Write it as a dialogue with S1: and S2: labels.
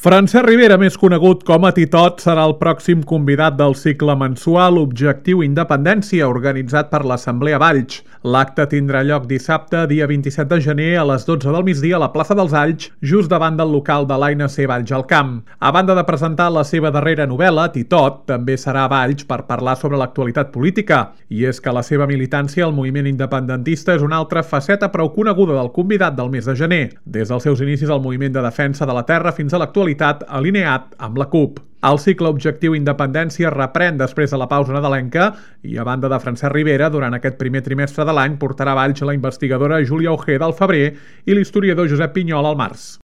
S1: Francesc Ribera, més conegut com a Titot, serà el pròxim convidat del cicle mensual Objectiu Independència, organitzat per l'Assemblea Valls. L'acte tindrà lloc dissabte, dia 27 de gener, a les 12 del migdia a la plaça dels Alls, just davant del local de l'ANC Valls al Camp. A banda de presentar la seva darrera novel·la, Titot també serà a Valls per parlar sobre l'actualitat política. I és que la seva militància al moviment independentista és una altra faceta prou coneguda del convidat del mes de gener, des dels seus inicis al moviment de defensa de la terra fins a l'actualitat alineat amb la CUP. El cicle Objectiu Independència reprèn després de la pausa nadalenca i, a banda de Francesc Ribera, durant aquest primer trimestre de l'any portarà a Valls la investigadora Júlia Ojeda al febrer i l'historiador Josep Pinyol al març.